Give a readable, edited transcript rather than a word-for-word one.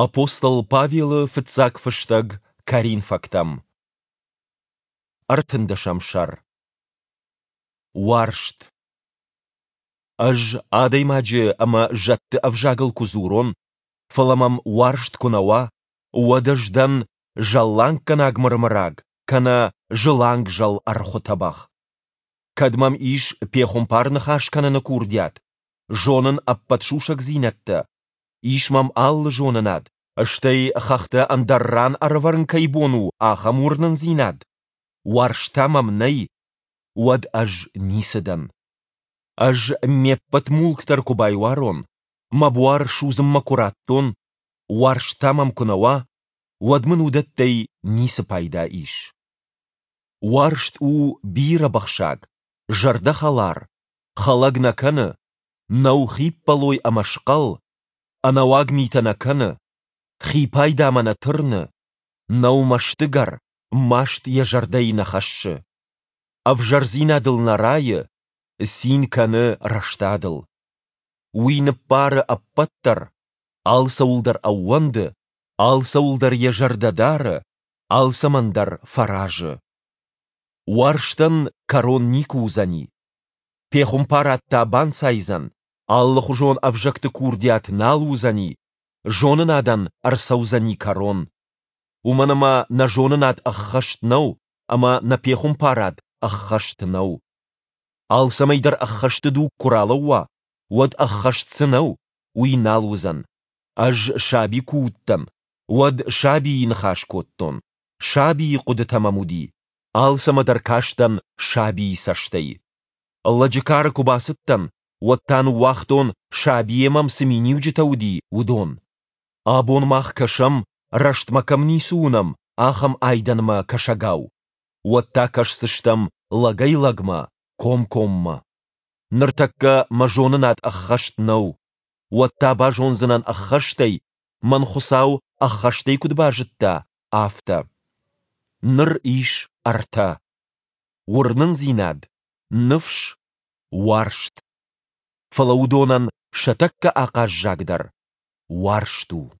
Апостол Павелы фыццаг фыстӕг Коринфӕгтӕм. Ӕртындӕсӕм сӕр. Уарзт. Ӕз адӕймаджы ӕмӕ зӕдты ӕвзагыл куы дзурон, фӕлӕ мӕм уарзт куы нӕ уа, уӕд ӕз дӕн зӕлланггӕнаг мырмыраг кӕнӕ зылангзӕл ӕрхуы тӕбӕгъ. Кӕд мӕм ис пехуымпар ныхас кӕныны курдиат, зонын ӕппӕт сусӕгдзинӕдтӕ, ис мӕм алы зонынад, стӕй хӕхтӕ ӕндӕр ран ӕрӕвӕрын кӕй бон у, ахӕм уырнындзинад, уарзт та мӕм нӕй, уӕд ӕз ницы дӕн. Ӕз ме ппӕт мулк дӕр куы байуарон, мӕ буар судзынмӕ куы раттон, уарзт та мӕм куы нӕ уа, уӕд мын уыдӕттӕй ницы пайда ис. Уарзт у бирӕбыхсаг, зӕрдӕхӕлар, хӕлӕг нӕ кӕны, нӕу хиппӕлой ӕмӕ схъӕл, ӕнӕуаг митӕ нӕ кӕны, хи пайдамӕ нӕ тырны, нӕу мӕстыгӕр, маст йӕ зӕрдӕйы нӕ хӕссы. Ӕвзӕрдзинадыл нӕ райы, цин кӕны рӕстадыл. Уый ныббары ӕппӕт дӕр, алцӕуыл дӕр ӕууӕнды, алцӕуыл дӕр йӕ зӕрдӕ дары, алцӕмӕн дӕр фӕразы. Уарзтӕн кӕрон никуы уыдзӕни. Пехуымпарад та банцайдзӕн, алыхуызон ӕвзӕгты курдиат нал уыдзӕни, зонынадӕн ӕрцӕудзӕни кӕрон. Уымӕн ӕмӕ нӕ зонынад ӕххӕст нӕу ӕмӕ нӕ пехуымпарад ӕххӕст нӕу. Алцӕмӕй дӕр ӕххӕсты дуг куы ралӕууа, уӕд ӕххӕст цы нӕу, уый нал уыдзӕн. Ӕз саби куы уыдтӕн, уӕд сабийы ныхас кодтон, сабийы хъуыдытӕ мӕм уыди, алцӕмӕ дӕр кастӕн сабийы цӕстӕй. Лӕджы кары куы бацыдтӕн, уӕд та ныууагътон, сабийӕ мӕм цы миниуджытӕ уыди, уыдон. Абон мах кӕсӕм, рӕстмӕ кӕм ницы уынӕм, ахӕм айдӕнмӕ кӕсӕгау. Уӕд та кӕсдзыстӕм лӕгӕй-лӕгмӕ, комкоммӕ. Ныртӕккӕ мӕ зонынад ӕххӕст нӕу. Уӕд та базондзынӕн ӕххӕстӕй, мӕн Хуыцау ӕххӕстӕй куыд базыдта, афтӕ. Ныр ис ӕртӕ. Уырнындзинад, ныфс, уарзт. Фӕлӕ уыдонӕн сӕ тӕккӕ ахъаззагдӕр уарзт у.